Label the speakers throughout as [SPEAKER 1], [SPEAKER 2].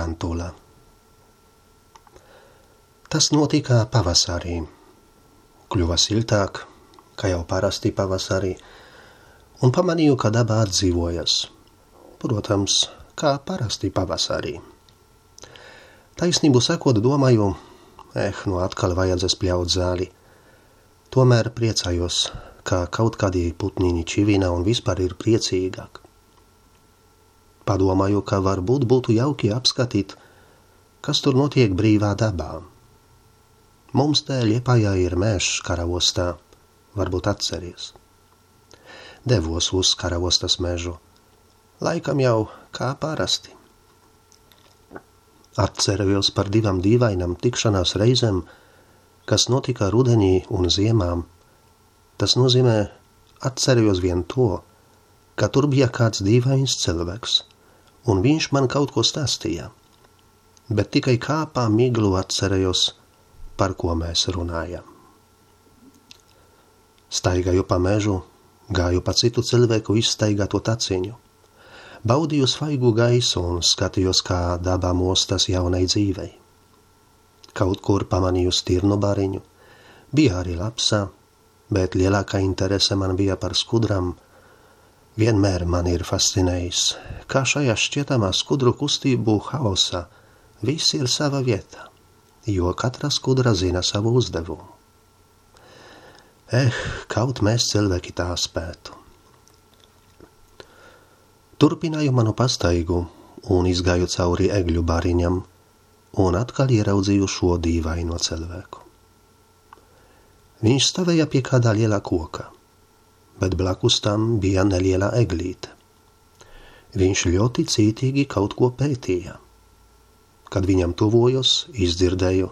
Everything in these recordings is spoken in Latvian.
[SPEAKER 1] Tarantula. Tas notika pavasarī. Kļuva siltāk, kā jau parasti pavasarī, un pamanīju, ka daba atdzīvojas. Protams, kā parasti pavasarī. Taisnību sakot, domāju, atkal vajadzēs pļaut zāli. Tomēr priecājos, ka kaut kādi putniņi čivina un vispār ir priecīgāk. Padomāju, ka varbūt būtu jauki apskatīt, kas tur notiek brīvā dabā. Mums te Liepājā ir mežs Karavostā, varbūt atceries. Devos uz Karavostas mežu, laikam jau kā parasti. Atcerējos par 2 dīvainām tikšanās reizēm, kas notika rudenī un ziemām. Tas nozīmē, atcerējos vien to, ka tur bija kāds dīvains cilvēks, un viņš man kaut ko stāstīja. Bet tikai kā pa miglu atcerējos, par ko mēs runājam. Staigāju pa mežu, gāju pa citu cilvēku izstaigāto taciņu. Baudīju svaigu gaisu un skatījos, kā dabā mostas jaunai dzīvei. Kaut kur pamanīju stirnu bariņu, bija arī lapsa, bet lielākā interese man bija par skudram. Vienmēr man ir fascinējis, kā šajā šķietamā skudru kustību haosā viss ir sava vieta, jo katra skudra zina savu uzdevumu. Kaut mēs cilvēki tā spētu. Turpināju manu pastaigu un izgāju cauri egļu bariņam un atkal ieraudzīju šo dīvaino cilvēku. Viņš stāvēja pie kādā lielā koka, bet blakus tam bija neliela eglīte. Viņš ļoti cītīgi kaut ko pētīja. Kad viņam tuvojos, izdzirdēju: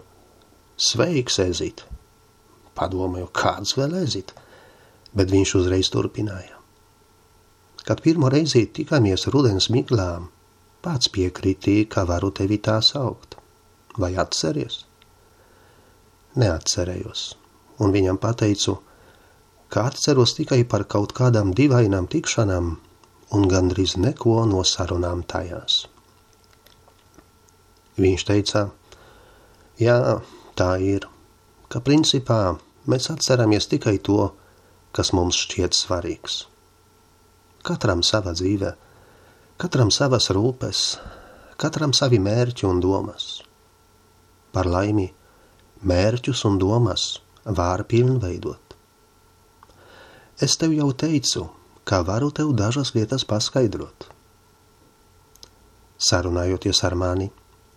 [SPEAKER 1] "Sveiks, ezīt!" Padomāju, kāds vēl ezīt, bet viņš uzreiz turpināja. Kad pirmo reizi tikāmies rudens miglām, pats piekritīja, ka varu tevi tā saukt. Vai atceries? Neatcerējos, un viņam pateicu, ka atceros tikai par kaut kādām dīvainām tikšanām un gandrīz neko no sarunām tajās. Viņš teica: "Jā, tā ir, ka principā mēs atceramies tikai to, kas mums šķiet svarīgs. Katram sava dzīve, katram savas rūpes, katram savi mērķi un domas. Par laimi, mērķus un domas var pilnveidot. Es tev jau teicu, ka varu tev dažas lietas paskaidrot." Sarunājoties ar mani,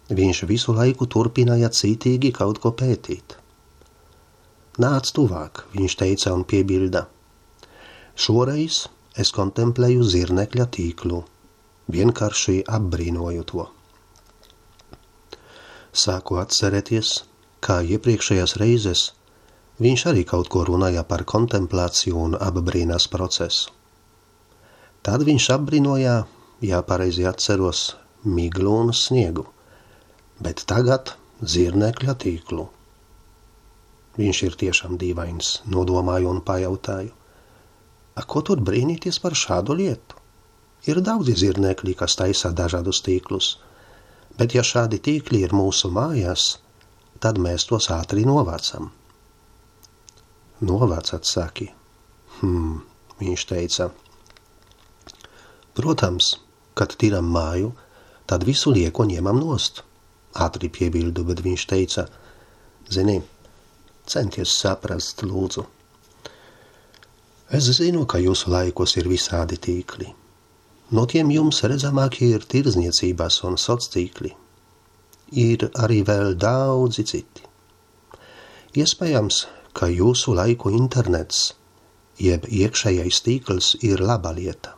[SPEAKER 1] viņš visu laiku turpināja cītīgi kaut ko pētīt. "Nāc tuvāk," viņš teica un piebilda. Šoreiz es kontemplēju zirnekļa tīklu, vienkārši apbrīnoju to. Sāku atcerēties, kā iepriekšējās reizes viņš arī kaut ko runāja par kontemplāciju un apbrīnas procesu. Tad viņš apbrīnoja, ja pareizi atceros, miglu un sniegu, bet tagad zirnekļa tīklu. Viņš ir tiešām dīvains, nodomāju un pajautāju: "Ko tur brīnīties par šādu lietu? Ir daudzi zirnekļi, kas taisa dažādus tīklus, bet ja šādi tīkli ir mūsu mājās, tad mēs tos ātri novācam." "Novācat, saki?" Viņš teica. "Protams, kad tiram māju, tad visu lieko ņemam nost." Ātri piebildu, bet viņš teica: "Zini, centies saprast, lūdzu. Es zinu, ka jūsu laikos ir visādi tīkli. No tiem jums redzamākie ir tirdzniecības un sociāltīkli. Ir arī vēl daudzi citi. Iespējams, ka jūsu laiku internets, jeb iekšējais tīkls ir laba lieta.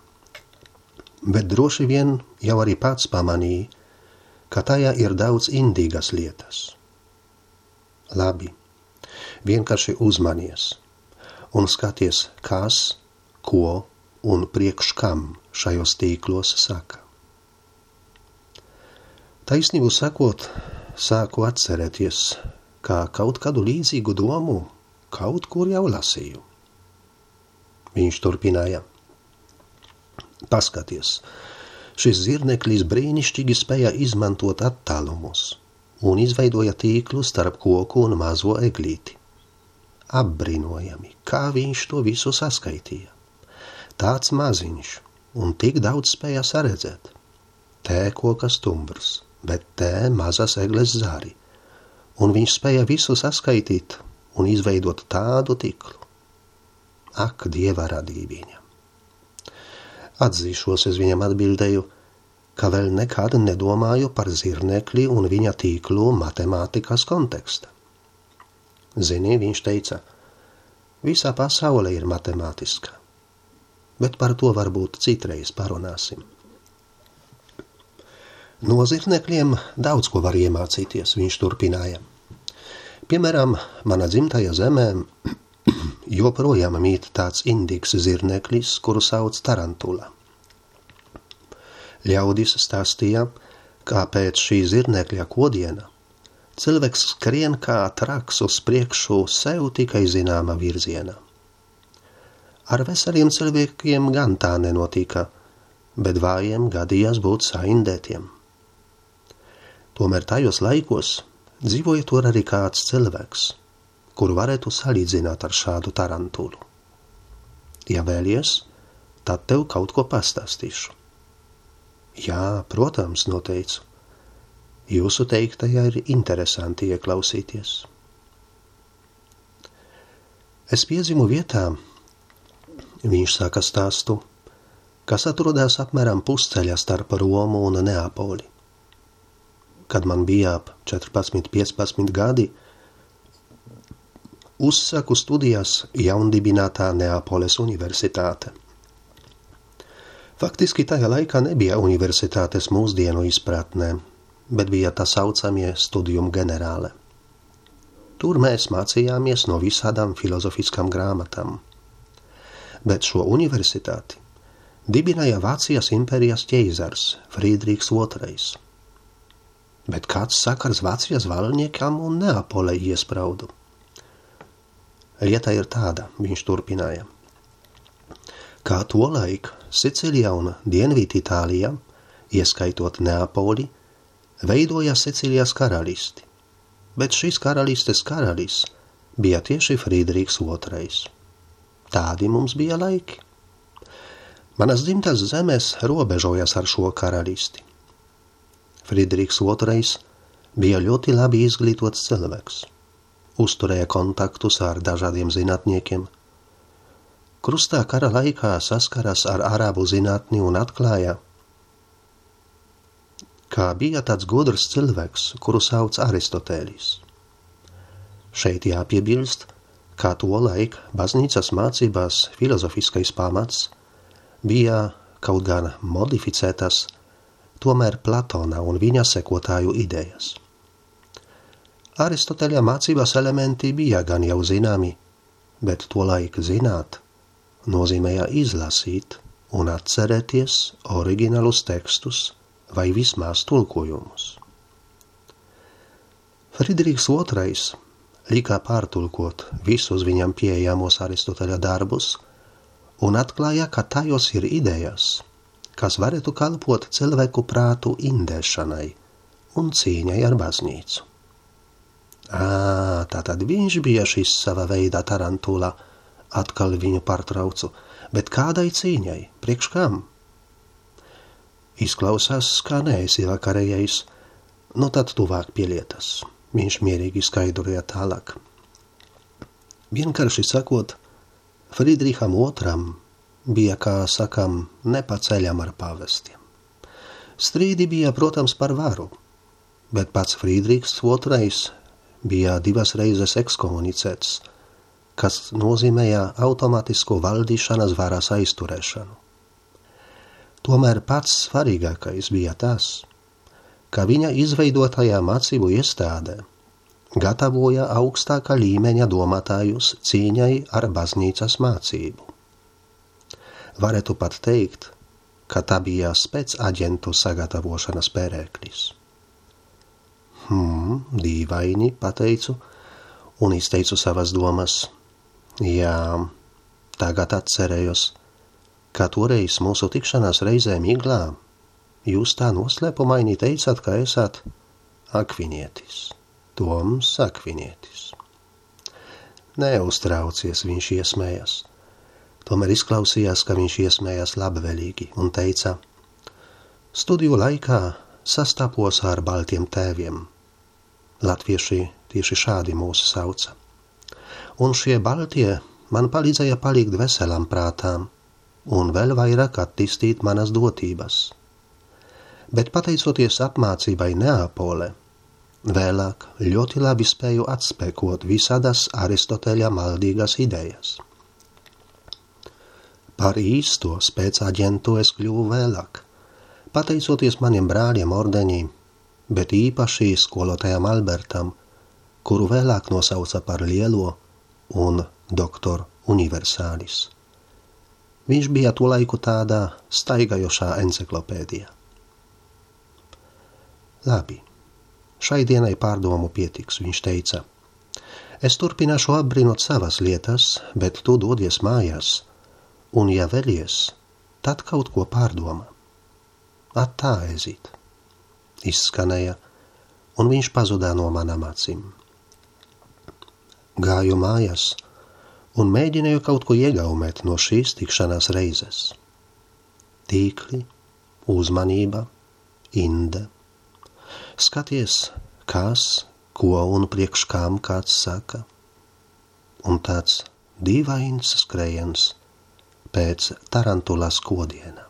[SPEAKER 1] Bet droši vien jau arī pats pamanīja, ka tajā ir daudz indīgas lietas. Labi, vienkārši uzmanies un skaties, kas, ko un priekš kam šajos tīklos saka." Taisnību sakot, sāku atcerēties, ka kaut kādu līdzīgu domu kaut kur jau lasīju. Viņš turpināja: "Paskaties, Šis zirneklis brīnišķīgi spēja izmantot attālumus un izveidoja tīklu starp koku un mazo eglīti. Apbrīnojami, kā viņš to visu saskaitīja. Tāds maziņš un tik daudz spēja saredzēt. Te koka stumbrs, bet te mazas egles zari, un viņš spēja visu saskaitīt un izveidot tādu tīklu. Ak, Dieva radība! Atzīšos, es viņam atbildēju, ka vēl nekad nedomāju par zirnekli un viņa tīklu matemātikas konteksta. Zini, viņš teica, visa pasaule ir matemātiska, bet par to varbūt citreiz parunāsim. No zirnekļiem daudz ko var iemācīties, viņš turpināja. Piemēram, mana dzimtajā zemē joprojām mīt tāds indīgs zirneklis, kuru sauc tarantula. Ļaudis stāstīja, kā pēc šī zirnekļa kodiena cilvēks skrien kā traks uz priekšu sev tikai zināma virziena. Ar veseliem cilvēkiem gan tā nenotika, bet vājiem gadījās būt saindētiem. Tomēr tajos laikos dzīvoja tur arī kāds cilvēks, kuru varētu salīdzināt ar šādu tarantulu. Ja vēlies, tad tev kaut ko pastāstīšu. Jā, protams, noteicu. Jūsu teiktajā ir interesanti ieklausīties. Es piedzimu vietā, viņš saka stāstu, kas atrodas apmēram pusceļā starp Romu un Neapoli. Kad man bija ap 14-15 gadi, uzsaku studijas jaundibinātā Neapoles universitāte. Faktiski tajā laikā nebija universitātes mūsdienu izpratnē, bet bija tā saucamie studium generāle. Tur mēs mācījāmies no visādām filozofiskām grāmatām. Bet šo universitāti dibināja Vācijas impērijas ķeizars Friedrichs II. Bet kāds sakars Vācijas valniekam un Neapolei iespraudu? Lieta ir tāda, viņš turpināja, kā tolaik Sicilija un Dienviditālija, ieskaitot Neapoli, veidoja Sicilijas karalisti, bet šīs karalistes karalis bija tieši Friedrichs II. Tādi mums bija laiki. Manas dzimtas zemes robežojas ar šo karalisti. Friedrichs II bija ļoti labi izglītots cilvēks, uzturēja kontaktus ar dažādiem zinātniekiem, krustā kara laikā saskaras ar arābu zinātni un atklāja, kā bija tāds gudrs cilvēks, kuru sauc Aristotēlis. Šeit jāpiebilst, kā tolaik baznīcas mācībās filozofiskais pamats bija kaut gan modificētas, tomēr Platona un viņa sekotāju idejas. Aristoteļa mācības elementi bija gan jau zināmi, bet tolaik zināt nozīmēja izlasīt un atcerēties oriģinālus tekstus vai vismaz tulkojumus. Friedrichs II lika pārtulkot visus viņam pieejamos Aristoteļa darbus un atklāja, ka tajos ir idejas, kas varētu kalpot cilvēku prātu indēšanai un cīņai ar baznīcu. Tātad viņš bija šis sava veida tarantula, atkal viņu pārtraucu, bet kādai cīņai, priekš kam? Izklausās, kā neesi vakarējais, nu tad tuvāk pie lietas, viņš mierīgi skaidroja tālāk. Vienkārši sakot, Friedricham II bija, kā sakam, nepaceļam ar pavestiem. Strīdi bija, protams, par varu, bet pats Friedrichs II bija 2 reizes ekskomunicēts, kas nozīmēja automātisko valdīšanas varas aizturēšanu. Tomēr pats svarīgākais bija tas, ka viņa izveidotajā mācību iestādē gatavoja augstākā līmeņa domātājus cīņai ar baznīcas mācību. Varētu pat teikt, ka tā bija spēcaģentu sagatavošanas pērēklis. Dīvaini, pateicu, un izteicu savas domas. Jā, tagad atcerējos, ka toreiz mūsu tikšanās reizē Miglā jūs tā noslēpumaini teicāt, ka esat akvinietis, Toms Akvinietis. Neuztraucies, viņš iesmējās. Tomēr izklausījās, ka viņš iesmējās labvēlīgi un teica: studiju laikā sastapos ar baltiem tēviem. Latvieši tieši šādi mūs sauca. Un šie baltie man palīdzēja palikt veselam prātām un vēl vairāk attīstīt manas dotības. Bet pateicoties apmācībai Neapole, vēlāk ļoti labi spēju atspēkot visādas Aristoteļa maldīgas idejas. Par īsto spēcāģentu es kļuvu vēlāk, pateicoties maniem brāļiem ordeņī, bet īpaši skolotājam Albertam, kuru vēlāk nosauca par lielo un doktor universālis. Viņš bija to laiku tādā staigājošā enciklopēdijā. Labi, šai dienai pārdomu pietiks, viņš teica. Es turpināšu apbrīnot savas lietas, bet tu dodies mājās, un ja vēlies, tad kaut ko pārdomā. Attā ezīt, izskanēja, un viņš pazudā no manām acīm. Gāju mājās un mēģināju kaut ko iegaumēt no šīs tikšanās reizes. Tīkli, uzmanība, inde. Skaties, kas, ko un priekš kām kāds saka. Un tāds dīvains skrejiens pēc tarantulas kodiena.